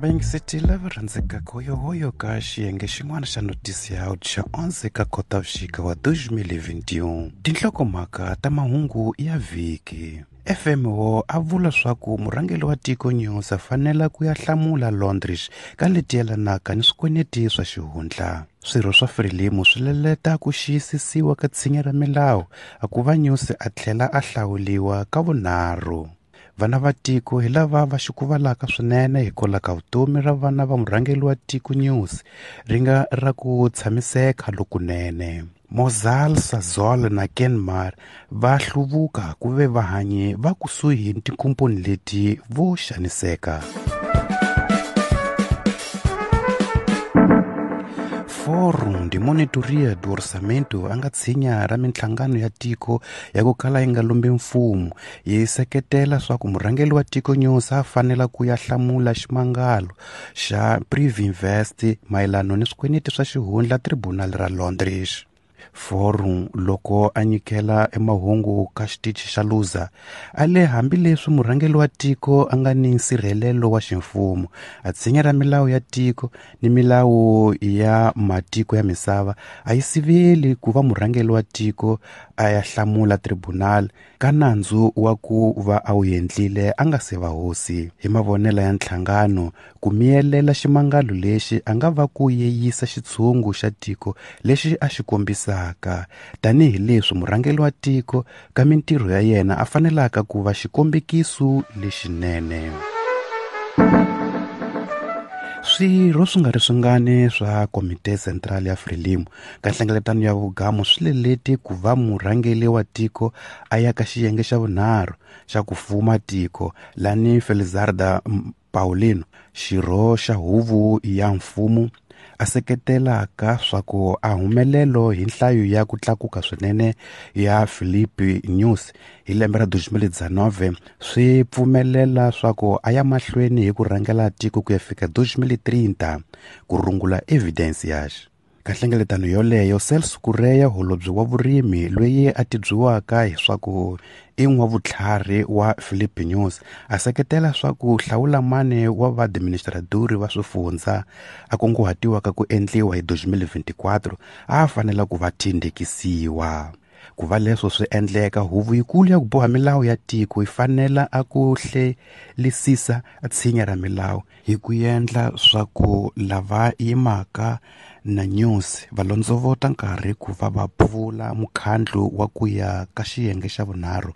Vayingiseti lava rhandzekaka hoyohoyo ka xiyenge xin'wana xa Noticias xa 11 ka Khotavuxika wa 2021. Tinhlokomhaka ta mahungu ya vhiki. FMO a vula swaku murhangeri wa tiko News a fanela ku ya hlamula Londres ka leti yelanaka ni swikweleti swa xihundla. Swirho swa Frelimo swi leleta ku xiyisisiwa ka tshinya ra milawu a ku va News a tlhela a hlawuliwa ka vunharhu. Vana va tiko hi lava va xukuvalaka swinene hikwalaho ka vutomi ra vana va murhangeri wa tiko News ri nga ra ku tshamiseka lokunene. Mozal Sasol na Kenmar va hluvuka ku ve vahanyi va kusuhi ni tinkomponi leti vo xaniseka. Fórum de Monitoria do Orçamento a nga tshinya ra minhlangano ya tiko ya ku kala yi nga lombi mfumo yi seketela swa ku murhangeri wa tiko News a fanela ku ya hlamula ximangalo xa Privinvest mayelano ni swikweleti swa xihundla Tribunal ra Londres. Forum loko a nyikela emahungu ka xitichi xa Luza a le hambileswi murhangeri wa tiko a nga ni nsirhelelo wa ximfumo a tshinya ra milawu ya tiko ni milawu ya matiko ya misava a yi siveli ku va murhangeri wa tiko a ya hlamula tribunal ka nandzu wa ku va a wu endlile a nga se va hosi. Hi mavonelo ya nhlangano ku miyelela ximangalo lexi a nga va ku yeyisa xitshungu xa tiko lexi a xi kombisaka tanihileswi murhangeri wa tiko ka mintirho ya yena a fanelaka ku va xikombekiso lexinene. Swirho swi nga ri swingani swa Komite Central ya Frelimo ka nhlengeletano ya vugamo swi leleti ku va murhangeri wa tiko a ya ka xiyenge xa vunharhu xa ku fuma tiko lani Felizarda Paulino xirho xa huvo ya mfumo a seketelaka swa ku a humelelo hi nhlayo ya ku tlakuka swinene ya Filipe Nyusi hi lembe ra 2019 swi pfumelela swa ku a ya mahlweni hi ku rhangela tiko ku ya fika 2030 ku rungula evidence yax. Ka nhlengeletano yoleyo Celso Correia holobye wa vurimi loyi a tibyiwaka hi swa ku i n'wavutlhari wa Filipe Nyusi a seketela swa ku hlawula mane wa vaadministradori va swifundza a kunguhatiwaka ku endliwa hi 2024 a fanela ku va tindekisiwa. Ku va leswo swi endleka huvo yikulu ya ku boha milawu ya tiko yi fanela a ku hlelisisa tshinya ra milawu hi ku endla swa ku lava yimaka na Nyusi va londzovota nkarhi ku va va pfula mukhandlu wa ku ya ka xiyenge xa vunharhu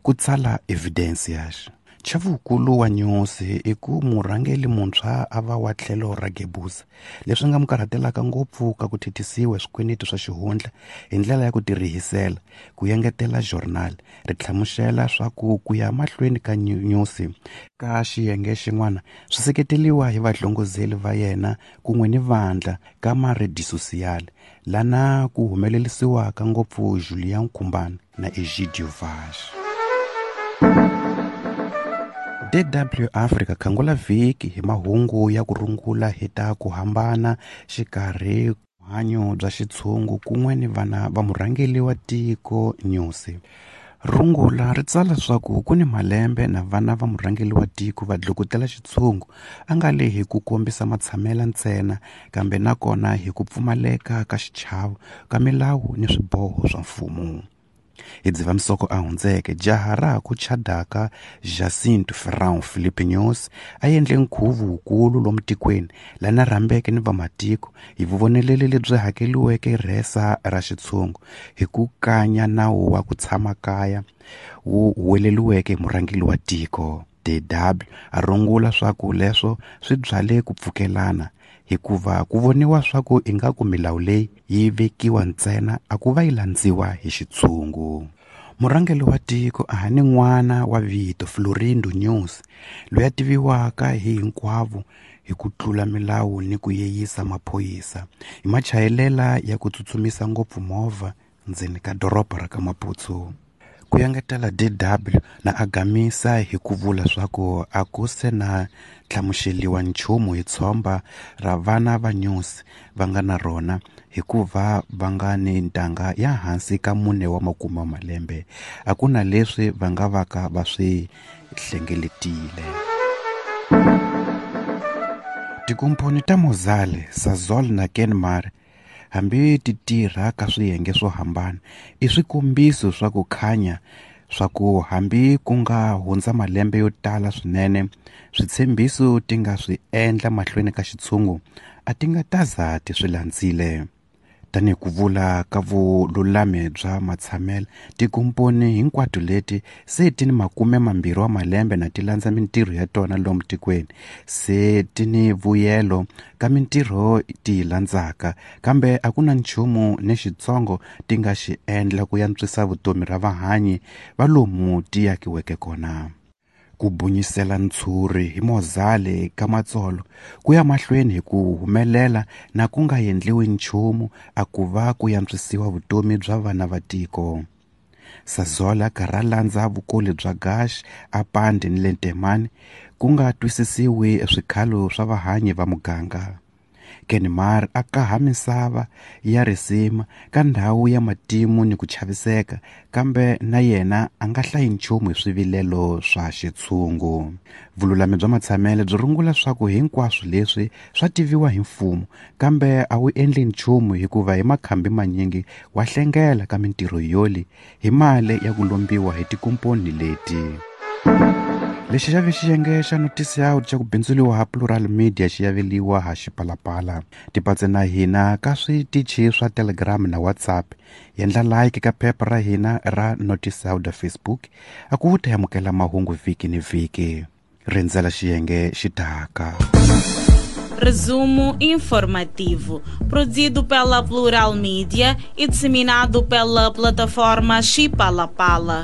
ku tsala evidence yax. Chavukulu wa Nyusi i ku murhangeri muntshwa a va wa tlhelo ra Gebuza leswi nga mu karhatelaka ngopfu ka ku thithisiwa swikweleti swa xihundla hi ndlela ya ku tirihisela ku engetela journal ri hlamusela swa ku ku ya mahlweni ka Nyusi ka xiyenge xin'wana swi seketeliwa hi vadlongozeli va yena kun'we ni vandla ka maredi social lana ku humelerisiwaka ngopfu Julian Kumbani na Egidio Vaz. DW Africa khangula vhiki hi mahungu ya ku rungula hi ta ku hambana xikarhi vuhanyo bya xitshungu kun'we ni vana va murhangeri wa tiko Nyusi. Rungula ri tsala swa ku ku ni malembe na vana va murhangeri wa tiko va dlukutela xitshungu a nga le hi ku kombisa matshamela ntsena kambe nakona hi ku pfumaleka ka xichavo ka milawu ni swiboho swa mfumo. Hi Dzivamisoko a hundzeke jaha ra ha ku chadaka Jacinto Ferrão Filipe Nyusi a endle nkhuvo wukulu lomu tikweni lana rhambeke ni vamatiko hi vuvoneleli lebyi hakeliweke rhesa ra xitshungu hi ku kanya nawu wa ku tshama kaya wu huweleliweke hi murhangeri wa tiko. DW a rungula swa ku leswo swi byale ku pfukelana hikuva ku voniwa swa ku ingaku milawu leyi yi vekiwa ntsena a ku va yi landziwa hi xitshungu. Murhangeri wa tiko a ha ni n'wana wa vito Florindo Nyusi loyi a tiviwaka hi hinkwavo hi ku tlula milawu ni ku yeyisa maphorisa hi machayelela ya ku tsutsumisa ngopfu movha ndzeni ka doroba ra ka Maputo. Ku engetela DW na a gamisa hi ku vula swa ku a ku se na hlamuseliwa nchumu hi tshomba ra vana va Nyusi va nga na rona hikuva va nga ni ntanga ya hansi ka 4 wa makume wa malembe a ku na leswi va nga vaka va swi hlengeletile. Tikomponi ta Mozale, Sasol na Kenmare, hambi ti tirha ka swiyenge swo hambana, i swikombiso swa ku khanya swa ku hambi ku nga hundza malembe yo tala swinene, switshembiso ti nga swi endla mahlweni ka xitshungu a ti nga ta za ti swi landzile. Tanihi ku vula ka vululami bya matshamelo, tikomponi hinkwato leti se ti ni 20 wa malembe na ti landza mintirho ya tona lomu tikweni, se ti ni vuyelo ka mintirho ti yi landzaka, kambe a ku na nchumu ni xitsongo ti nga xi endla ku yantswisa vutomi ra vahanyi va lomu ti akiweke kona. Ku bunyisela ntshuri hi Mozale ka Matsolo ku ya mahlweni hi ku humelela na ku nga endliwi nchumu a ku va ku yantswisiwa vutomi bya vana va tiko. Sasol a karhi a landza vukoli bya Gash a Pande ni le Ntemane ku nga twisisiwi swikhalo swa vahanyi va muganga. Kenmare a kaha misava ya risima ka ndhawu ya matimu ni ku chaviseka, kambe na yena a nga hlayi nchumu hi swivilelo swa xitshungu. Vululami bya matshamelo byi rungula swa ku hinkwaswo leswi swa tiviwa hi mfumo, kambe a wu endli nchumu hikuva hi makhambi manyingi wa hlengela ka mintirho yoli hi mali ya ku lombiwa hi tikomponi leti. Lexi xa ve xiyenge xa Notice Out xa ku bindzuriwa ha Plural Media xi yaveliwa ha Xipalapala. Tipatse na hina ka switichi swa Telegram na WhatsApp. Yendla like ka phepha ra hina ra Notice Out Facebook a ku ta amukela mahungu vhiki ni vhiki. Rindzela xiyenge xi taka. Resumo informativo, produzido pela Plural Media e disseminado pela plataforma Xipalapala.